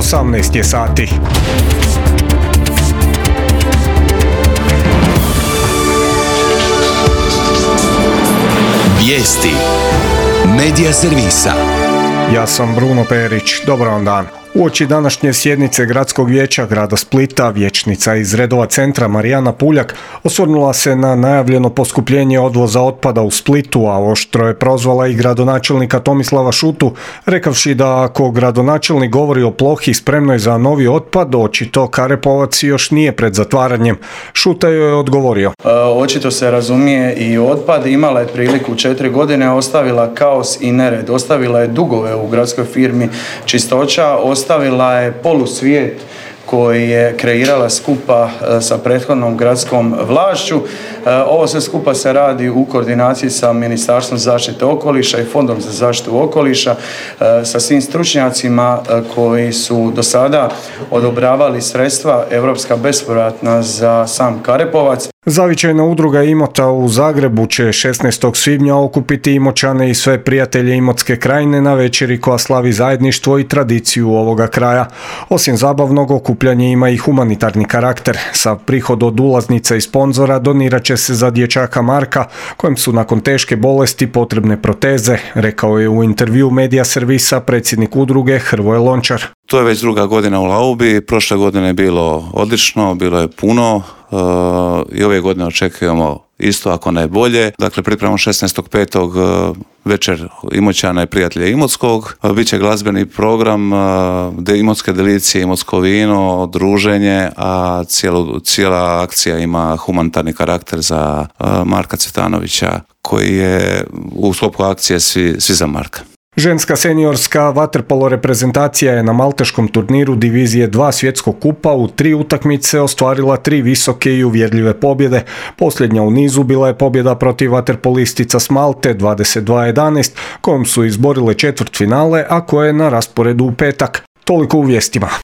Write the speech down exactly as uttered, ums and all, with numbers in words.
osamnaest je sati. Vijesti Medija servisa. Ja sam Bruno Perić, dobar vam dan. Uoči današnje sjednice Gradskog vijeća grada Splita, vijećnica iz redova centra Marijana Puljak osvrnula se na najavljeno poskupljenje odvoza otpada u Splitu, a oštro je prozvala i gradonačelnika Tomislava Šutu, rekavši da ako gradonačelnik govori o plohi spremnoj za novi otpad, očito Karepovac još nije pred zatvaranjem. Šuta joj je odgovorio. E, očito se razumije i otpad, imala je priliku četiri godine, ostavila kaos i nered, ostavila je dugove u gradskoj firmi Čistoća, ostavila je polusvijet koji je kreirala skupa sa prethodnom gradskom vlašću. Ovo sve skupa se radi u koordinaciji sa Ministarstvom zaštite okoliša i Fondom za zaštitu okoliša, sa svim stručnjacima koji su do sada odobravali sredstva europska bespovratna za sam Karepovac. Zavičajna udruga Imota u Zagrebu će šesnaestog svibnja okupiti Imoćane i sve prijatelje Imotske krajine na večeri koja slavi zajedništvo i tradiciju ovoga kraja. Osim zabavnog, okupljanje ima i humanitarni karakter. Sav prihod od ulaznica i sponzora donirat će se za dječaka Marka, kojem su nakon teške bolesti potrebne proteze, rekao je u intervju Medija servisa predsjednik udruge Hrvoje Lončar. To je već druga godina u Laubi, prošle godine je bilo odlično, bilo je puno uh, i ove godine očekujemo isto, ako ne bolje. Dakle, pripremamo šesnaestog petog uh, večer Imoćana i prijatelja Imotskog. Uh, Biće glazbeni program, uh, de Imotske delicije, Imotsko vino, druženje, a cijelu, cijela akcija ima humanitarni karakter za uh, Marka Cvetanovića, koji je u sklopu akcije Svi, svi za Marka. Ženska seniorska vaterpolo reprezentacija je na malteškom turniru divizije dva svjetskog kupa u tri utakmice ostvarila tri visoke i uvjerljive pobjede. Posljednja u nizu bila je pobjeda protiv vaterpolistica s Malte dvadeset dva jedanaest, kojom su izborile četvrtfinale, a koje je na rasporedu u petak. Toliko u vijestima.